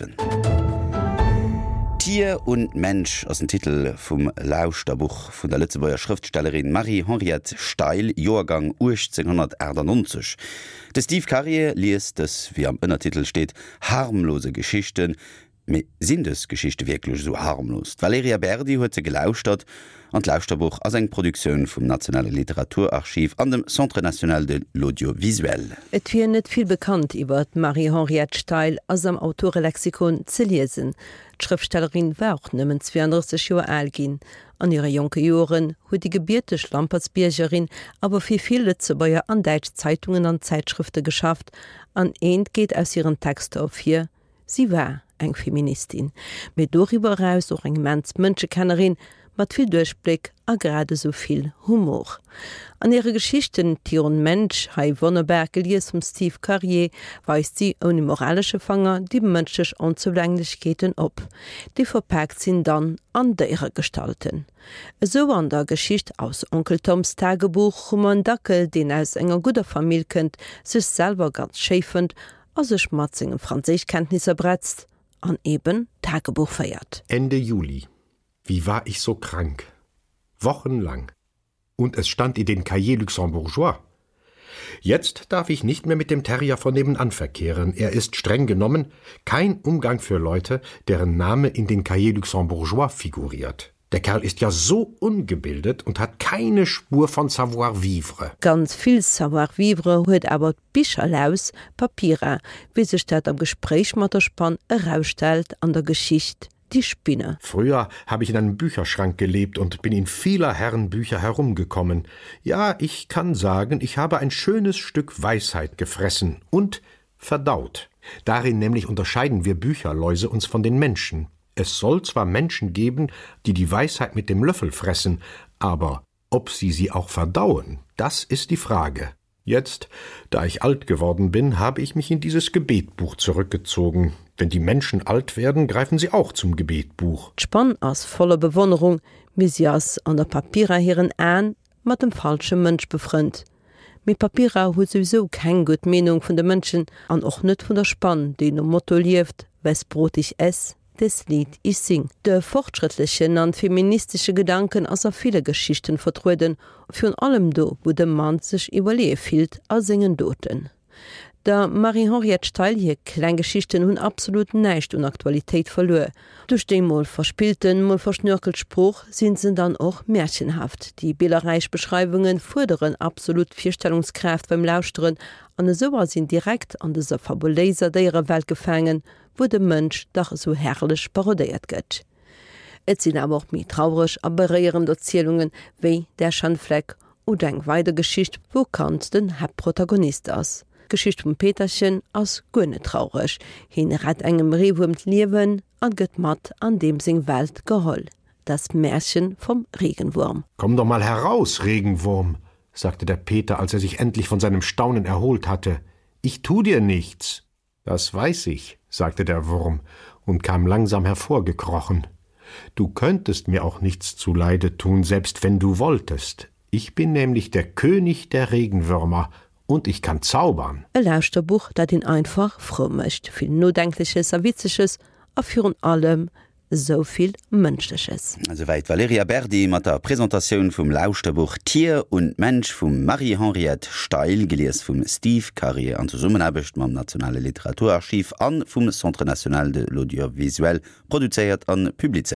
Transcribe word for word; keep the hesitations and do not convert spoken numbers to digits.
siwen. Tier und Mensch ass den Titel vum Lauschterbuch vun der Lëtzebuerger Schrëftstellerin Marie-Henriette Steil, Joergang uechtzénghonnertaachtanonzeg. De Steve Karier liest dës, wéi am Ënnertitel steet, harmlose Geschichten. Mee sinn dës Geschichte wierklech esou harmlos? D'Valerija Berdi huet se gelauschtert an d'Lauschterbuch ass eng Produktioun vum Nationale Literaturarchiv an dem Centre national de l'audiovisuel. Et wier net vill bekannt iwwer d'Marie-Henriette Steil, ass am Autorelexikon ze liesen. D'Schrëftstellerin war och nëmmen zweeandrësseg Joer al ginn. An hire jonke Joren huet déi gebierteg Lampertsbiergerin awer fir vill Lëtzebuerger an däitsch Zeitungen an Zäitschrëfte geschafft an eent geet aus hiren Texter ervir, Si war eng Feministin, mee doriwwer eraus och eng immens Mënschekennerin mat vill Duerchbléck a grad esou vill Humor. An hire Geschichten Tier und Mensch, hei wonnerbar gelies vum Steve Karier, weist si ouni moralesche Fanger déi mënschlech Onzoulänglechkeeten op, déi verpaakt sinn dann an Déieregestalten. Esou an der Geschicht Aus Onkel Toms Tagebuch hu mer en Dackel, deen aus enger gudder Famill kënnt, sech selwer ganz schéi fënnt a sech mat senge Franséischkenntnisser bretzt an eben Tagebuch féiert. Ende Juli. Wie war ich so krank? Wochenlang. Und es stand in den Cahiers luxembourgeois. Jetzt darf ich nicht mehr mit dem Terrier von nebenan verkehren. Er ist streng genommen kein Umgang für Leute, deren Name in den Cahiers luxembourgeois figuriert. Der Kerl ist ja so ungebildet und hat keine Spur von Savoir-vivre. Ganz vill Savoir-vivre huet awer d'Bicherlaus Papira, wéi sech dat am Gespréich mat der Spann erausstellt an der Geschicht Die Spinne. Früher habe ich in einem Bücherschrank gelebt und bin in vieler Herren Bücher herumgekommen. Ja, ich kann sagen, ich habe ein schönes Stück Weisheit gefressen und verdaut. Darin nämlich unterscheiden wir Bücherläuse uns von den Menschen. Es soll zwar Menschen geben, die die Weisheit mit dem Löffel fressen, aber ob sie sie auch verdauen, das ist die Frage. Jetzt, da ich alt geworden bin, habe ich mich in dieses Gebetbuch zurückgezogen. Wenn die Menschen alt werden, greifen sie auch zum Gebetbuch. D'Spann ass voller Bewonnerung, mee si ass an der Papira hiren Aen mat dem falsche Mënsch befrënnt. Mee d'Papira huet souwisou keng gutt Meenung vun de Mënschen an och net vun der Spann, déi nom Motto lieft, Wes Brot ich ess, des Lied ich sing. De fortschrëttlechen an feministesche Gedanken ass a ville Geschichten vertrueden, virun allem do, wou de Mann sech iwwerleeë fillt a sengen Doten. Der Marie-Henriette Steil hir kleng Geschichten hunn absolut näischt un Aktualitéit verluer. Duerch déi mol verspillten, mol verschnörkelt Sprooch sinn se dann och märchenhaft. Déi billerräich Beschreiwunge fuerderen absolut d'Virstellungskraaft beim Lauschteren an esou ass een direkt an dëser fabuléiser Déierewelt gefaangen, wou de Mënsch dach esou herrlech parodéiert gëtt. Et sinn awer och méi traureg a beréierend Erzielungen, wéi Der Schandfleck oder eng weider Geschicht, wou Kand den Haaptprotagonist ass. D'Geschicht vum Peterchen ass guer net traureg, hien rett engem Reewuerm d'Liewen an gëtt mat an deem seng Welt geholl, Das Märchen vom Regenwurm. Komm doch mal heraus, Regenwurm, sagte der Peter, als er sich endlich von seinem Staunen erholt hatte. Ich tu dir nichts. Das weiß ich, sagte der Wurm und kam langsam hervorgekrochen. Du könntest mir auch nichts zuleide tun, selbst wenn du wolltest. Ich bin nämlich der König der Regenwürmer und ich kann zaubern. E Lauschterbuch, dat een einfach frou mécht. Vill Nodenkleches a Witzeges a virun allem esou vill Mënschleches. Esouwäit d'Valerija Berdi mat der Presentatioun vum Lauschterbuch Tier und Mensch vum Marie-Henriette Steil, gelies vum Steve Karier an Zesummenaarbecht mam Nationale Literaturarchiv a vum Centre national de l'audiovisuel, produzéiert a publizéiert.